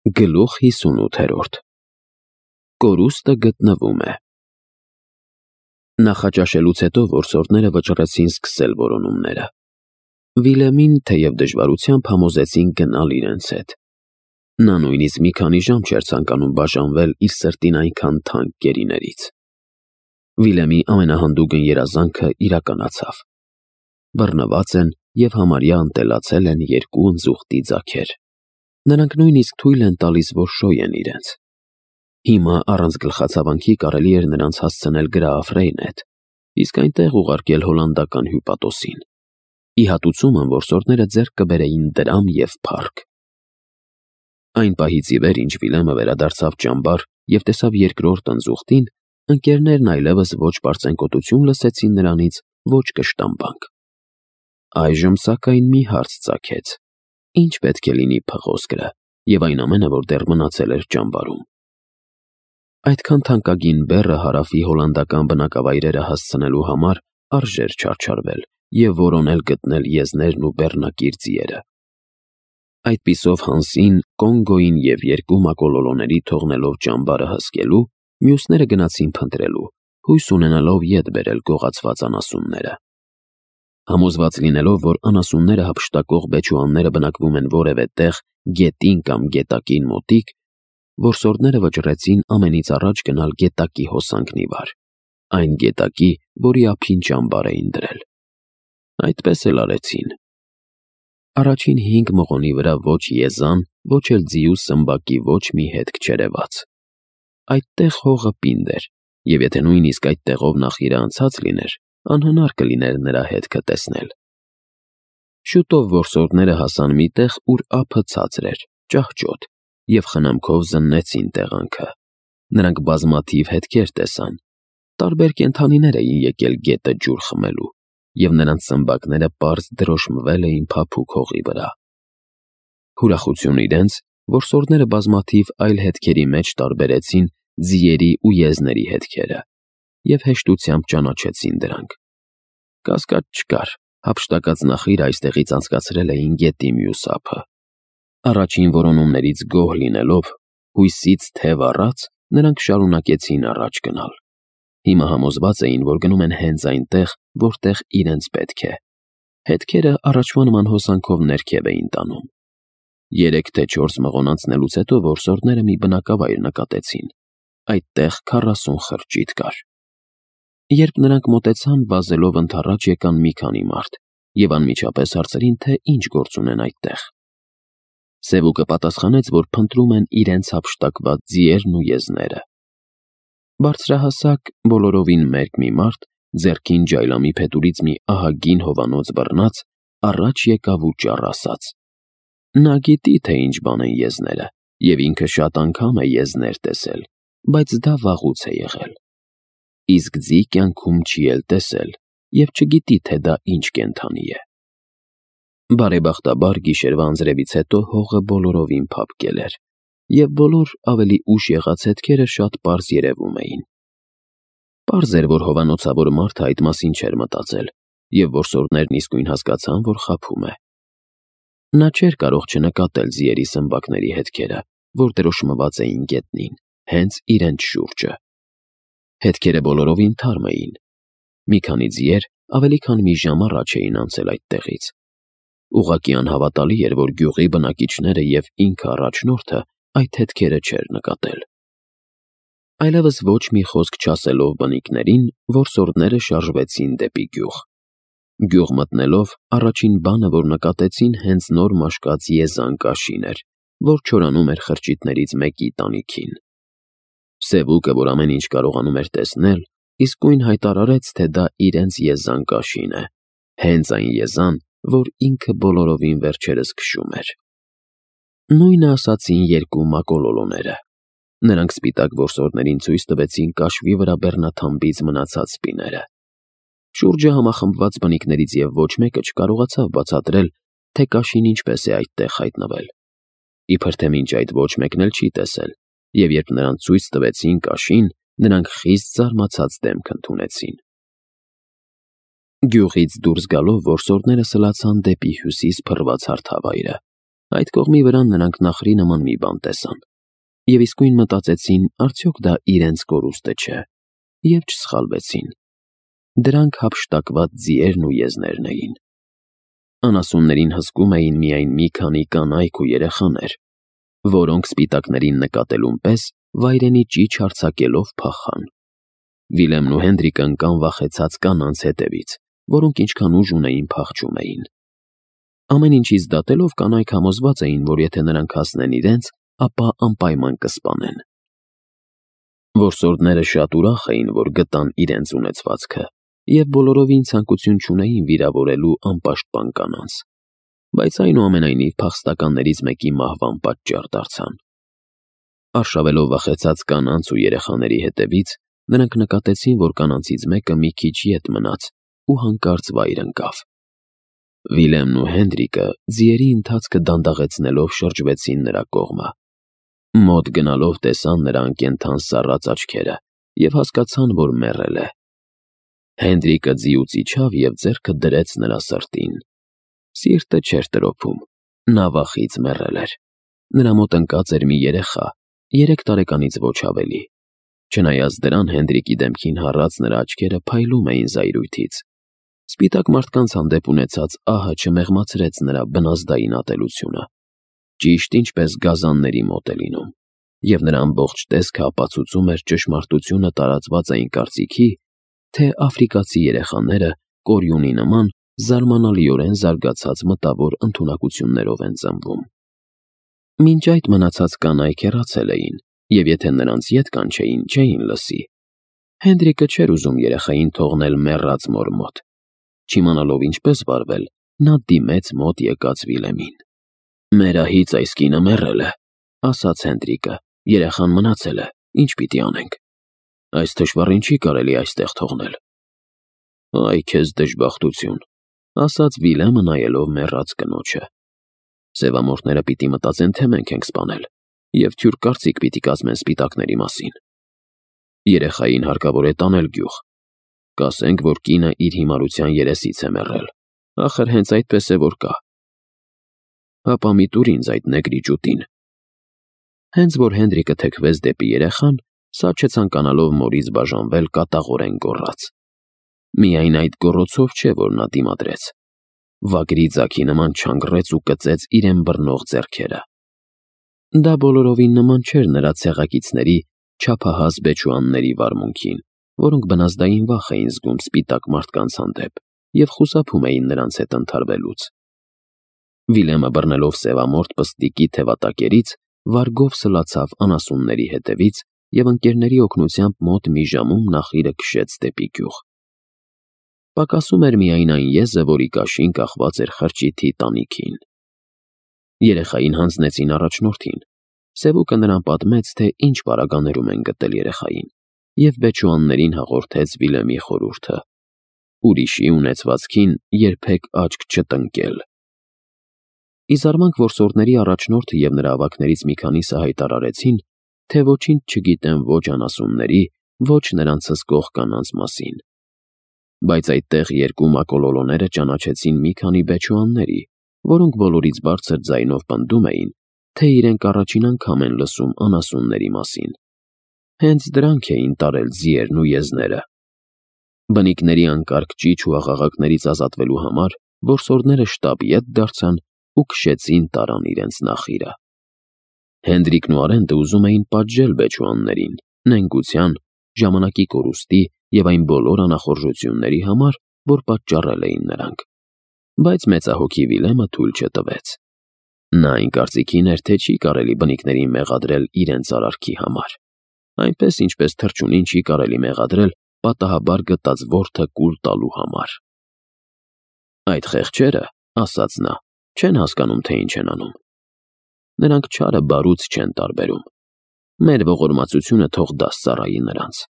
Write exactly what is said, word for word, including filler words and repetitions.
Գլուխ հիսունութերորդ Կորուստը գտնվում է։ Նախաճաշելուց հետո որսորդները վճռեցին սկսել որոնումները։ Վիլեմին, թեև դժվարությամբ, համոզեցին գնալ իրենց հետ։ Նա նույնիսկ մի քանի ժամ չէր ցանկանում բաժանվել իր սրտին այնքան թանկ գերիներից։ Վիլեմի ամենահանդուգն երազանքը իրականացավ։ Բռնված են և համարյա ընտելացել են երկու ընձուղտի ձագեր։ Նրանք նույնիսկ թույլ են տալիս, որ շոյեն իրենց։ Հիմա առանց գլխացավանքի կարելի էր նրանց հասցնել Գրաֆ Ռեյնեթ, իսկ այնտեղ ուղարկել հոլանդական հյուպատոսին։ Ի հատուցումը որսորդները ձեռք կբերեին դրամ և փառք։ Այն պահից ի վեր, ինչ Վիլեմը վերադարձավ ճամբար և տեսավ երկրորդ ընձուղտին, ընկերներն այլևս ոչ պարծենկոտություն լսեցին նրանից, ոչ կշտամբանք։ Այժմ, սակայն, մի հարց ծագեց. ինչ պետք է լինի փղոսկրը և այն ամենը, որ դեռ մնացել էր ճամբարում։ Այդքան թանկագին բեռը Հարավի հոլանդական բնակավայրերը հասցնելու համար արժեր չարչարվել և որոնել գտնել եզներն ու բեռնակիր ձիերը։ Այդպիսով Հանսին, Կոնգոյին և երկու մակոլոլոների թողնելով ճամբարը հսկելու, մյուսները գնացին փնտրելու, հույս ունենալով ետ բերել գողացված անասունները։ Համոզված լինելով, որ անասունները հափշտակող բեչուանները բնակվում են որևէ տեղ գետին կամ գետակին մոտիկ, որսորդները վճռեցին ամենից առաջ գնալ գետակի հոսանքն ի վար, այն գետակի, որի ափին ճամբար էին դրել։ Այդպես էլ արեցին։ Առաջին հինգ մղոնի վրա ոչ եզան, ոչ էլ ձիու սմբակի ոչ մի հետք չերևաց։ Այդտեղ հողը պինդ էր, և եթե նույնիսկ այդ տեղով նախ իրը անցած լիներ, անհնար կլիներ նրա հետքը տեսնել։ Շուտով որսորդները հասան մի տեղ, ուր ափը ցածր էր, ճահճոտ, և խնամքով զննեցին տեղանքը։ Նրանք բազմաթիվ հետքեր տեսան։ Տարբեր կենդանիներ էին եկել գետը ջուր խմելու, և նրանց սմբակները պարզ դրոշմվել էին փափուկ հողի վրա։ Ուրախություն իրենց, որսորդները բազմաթիվ այլ հետքերի մեջ տարբերեցին ձիերի ու եզների հետքերը և հեշտությամբ ճանաչեցին դրանք։ Կասկած չկար, հափշտակած նախիրը այստեղից անցկացրել էին գետի մյուս ափը։ Առաջին որոնումներից գոհ լինելով, հույսից թև առած, նրանք շարունակեցին առաջ գնալ։ Հիմա համոզված էին, որ գնում են հենց այնտեղ, որտեղ իրենց պետք է։ Հետքերը առաջվա նման հոսանքով ներքև էին տանում։ Երեք թե չորս մղոն անցնելուց հետո որսորդները մի բնակավայր նկատեցին։ Այդտեղ քառասուն խրճիթ կար։ Երբ նրանք մոտեցան, վազելով ընդառաջ եկան մի քանի մարդ և անմիջապես հարցրին, թե ինչ գործ ունեն այդտեղ։ Սևուկը պատասխանեց, որ փնտրում են իրենց հափշտակված ձիերն ու եզները։ Բարձրահասակ, բոլորովին մերկ մի մարդ, ձեռքին ջայլամի փետուրից մի ահագին հովանոց բռնած, առաջ եկավ ու ճառ ասաց. նա գիտի, թե ինչ բան են եզները, և ինքը շատ անգամ է եզներ տեսել, բայց դա վաղուց է եղել։ Իսկ ձի կյանքում չի էլ տեսել և չգիտի, թե դա ինչ կենդանի է։ Բարեբախտաբար գիշերվա անձրևից հետո հողը բոլորովին փափկել էր, և բոլոր ավելի ուշ եղած հետքերը շատ պարզ երևում էին։ Պարզ էր, որ հովանոցավոր մարդը այդ մասին չէր մտածել, և որսորդներն իսկույն հասկացան, որ խաբում է։ Նա չէր կարող չնկատել ձիերի սմբակների հետքերը, որ դրոշմված էին գետնին, հենց իրենց շուրջը։ Հետքերը բոլորովին թարմ էին։ Մի քանի ձիեր ավելի քան մի ժամ առաջ էին անցել այդտեղից։ Ուղղակի անհավատալի էր, որ գյուղի բնակիչները և ինքը առաջնորդը այդ հետքերը չէր նկատել։ Այլևս ոչ մի խոսք չասելով բնիկներին, որսորդները շարժվեցին դեպի գյուղ։ Գյուղ մտնելով, առաջին բանը, որ նկատեցին, հենց նոր մաշկած եզան կաշին էր, որ չորանում էր խրճիթներից մեկի տանիքին։ Սևուկը, որ ամեն ինչ կարողանում էր տեսնել, իսկույն հայտարարեց, թե դա իրենց եզան կաշին է, հենց այն եզան, որ ինքը բոլորովին վերջերս քշում էր։ Նույնը ասացին երկու մակոլոլոները։ Նրանք սպիտակ որսորդներին ցույց տվեցին կաշվի վրա բեռնաթամբից մնացած սպիները։ Շուրջը համախմբված բնիկներից և ոչ մեկը չկարողացավ բացատրել, թե կաշին ինչպես է այդտեղ հայտնվել։ Իբր թե մինչ այդ ոչ մեկն էլ չի տեսել, և երբ նրանց ցույց տվեցին կաշին, նրանք խիստ զարմացած դեմք ընդունեցին։ Գյուղից դուրս գալով որսորդները սլացան դեպի հյուսիս փռված հարթավայրը, Այդ կողմի վրա նրանք նախրի նման մի բան տեսան, և իսկույն մտածեցին, արդյոք դա իրենց կորուստը չէ, և չսխալվեցին. դրանք հափշտակված ձիերն ու եզներն էին։ Անասուններին հսկում էին միայն մի քանի կանայք ու երեխաներ, որոնք սպիտակներին նկատելուն պես վայրենի ճիչ արձակելով փախան։ Վիլեմն ու Հենրիկը ընկան վախեցած կանանց հետևից, որոնք ինչքան ուժ ունեին փախչում էին։ Ամեն ինչից դատելով կանայք համոզված էին, որ եթե նրանք հասնեն իրենց, ապա անպայման կսպանեն։ Որսորդները շատ ուրախ էին, որ գտան իրենց ունեցվածքը, և բոլորովին ցանկություն չունեին վիրավորելու անպաշտպան կանանց, բայց այնուամենայնիվ փախստականներից մեկի մահվան պատճառ դարձան։ Արշավելով վախեցած կանանց ու երեխաների հետևից, նրանք նկատեցին, որ կանանցից մեկը մի քիչ ետ մնաց ու հանկարծ վայր ընկավ։ Վիլեմն ու Հենրիկը ձիերի ընթացքը դանդաղեցնելով շրջվեցին նրա կողմը։ Մոտ գնալով տեսան նրա անկենդան սառած աչքերը և հասկացան, որ մեռել է։ Հենրիկը ձիուց իջավ և ձեռքը դրեց նրա սրտին։ Սիրտը չէր տրոփում, նա վախից մեռել էր։ Նրա մոտ ընկած էր մի երեխա, երեք տարեկանից ոչ ավելի։ Չնայած դրան, Հենրիկի դեմքին հառած նրա աչքերը փայլում էին զայրույթից։ Սպիտակ մարդկանց հանդեպ ունեցած ահը չմեղմացրեց նրա բնազդային ատելությունը, ճիշտ ինչպես գազանների մոտ է լինում, և նրա ամբողջ տեսքը ապացուցում էր ճշմարտությունը տարածված այն կարծիքի, թե աֆրիկացի երեխաները կորյունի նման զարմանալիորեն զարգացած մտավոր ընդունակություններով են ծնվում։ Մինչ այդ մնացած կանայք հեռացել էին, և եթե նրանց ետ կանչեին, չէին լսի։ Հենրիկը չէր ուզում երեխային թողնել մեռած մոր մոտ։ Չիմանալով ինչպես վարվել, նա դիմեց մոտ եկած Վիլեմին։ «Մերահից այս կինը մեռել է», ասաց Հենրիկը, «երեխան մնացել է, ինչ պիտի անենք։ Այս թշվառին չի կարելի այստեղ թողնել»։ «Այ քեզ դժբախտություն», ասաց Վիլեմը նայելով մեռած կնոջը։ «Սևամորթները պիտի մտածեն, թե մենք ենք սպանել, և թյուր կարծիք պիտի կազմեն սպիտակների մասին։ Երեխային հարկավոր է տանել գյուղ։ Կասենք, որ կինը իր հիմարության երեսից է մեռել, ախր հենց այդպես է, որ կա։ Հապա մի տուր ինձ այդ նեգրի ջութին»։ Հենց որ Հենրիկը թեքվեց դեպի երեխան, սա չցանկանալով մորից բաժանվել, կատաղորեն գոռաց։ Միայն այդ գոռոցով չէ, որ նա դիմադրեց։ Վագրի ձագի նման չանգռեց ու կծեց իրեն բռնող ձեռքերը։ Դա բոլորովին նման չէր նրա ցեղակիցների չափահաս բեչուանների վարմունքին, որոնք բնազդային վախ էին զգում սպիտակ մարդկանց հանդեպ և խուսափում էին նրանց հետ ընդհարվելուց։ Վիլեմը բռնելով սևամորթ պստիկի թևատակերից, վարգով սլացավ անասունների հետևից և ընկերների օգնությամբ մոտ մի ժամում նախիրը քշեց դեպի գյուղ։ Պակասում էր միայն այն եզը, որի կաշին կախված էր խրճիթի տանիքին։ Երեխային հանձնեցին առաջնորդին։ Սևուկը նրան պատմեց, թե ինչ պարագաներում են գտել երեխային, և բեչուաններին հաղորդեց Վիլեմի խորհուրդը. ուրիշի ունեցվածքին երբեք աչք չտնկել։ Ի զարմանք որսորդների առաջնորդը և նրա ավագներից մի քանիսը հայտարարեցին, թե ոչինչ չգիտեն ոչ անասունների, ոչ նրանց հսկող կանանց մասին։ Բայց այդտեղ երկու մակոլոլոները ճանաչեցին մի քանի բեչուանների, որոնք բոլորից բարձր ձայնով պնդում էին, թե իրենք առաջին անգամ են լսում անասունների մասին։ Հենց դրանք էին տարել ձիերն ու եզները։ Բնիկների անկարգ ճիչ ու աղաղակներից ազատվելու համար որսորդները շտապ ետ դարձան ու քշեցին տարան իրենց նախիրը։ Հենրիկն ու Արենդը ուզում էին պատժել բեչուաններին, նենգության, ժամանակի կորուստի և այն բոլոր անախորժությունների համար, որ պատճառել էին նրանք։ Բայց մեծահոգի Վիլեմը թույլ չտվեց։ Նա այն կարծիքին էր, թե չի կարելի բնիկներին մեղադրել իրենց արարքի համար, այնպես ինչպես թռչունին չի կարելի մեղադրել պատահաբար գտած որդը կուլ տալու համար։ «Այդ խեղճերը, — ասաց նա, — չեն հասկանում, թե ինչ են անում։ Նրանք չարը բարուց չեն տարբերում։ Մեր ողորմածությունը թող դաս ծառայի նրանց»։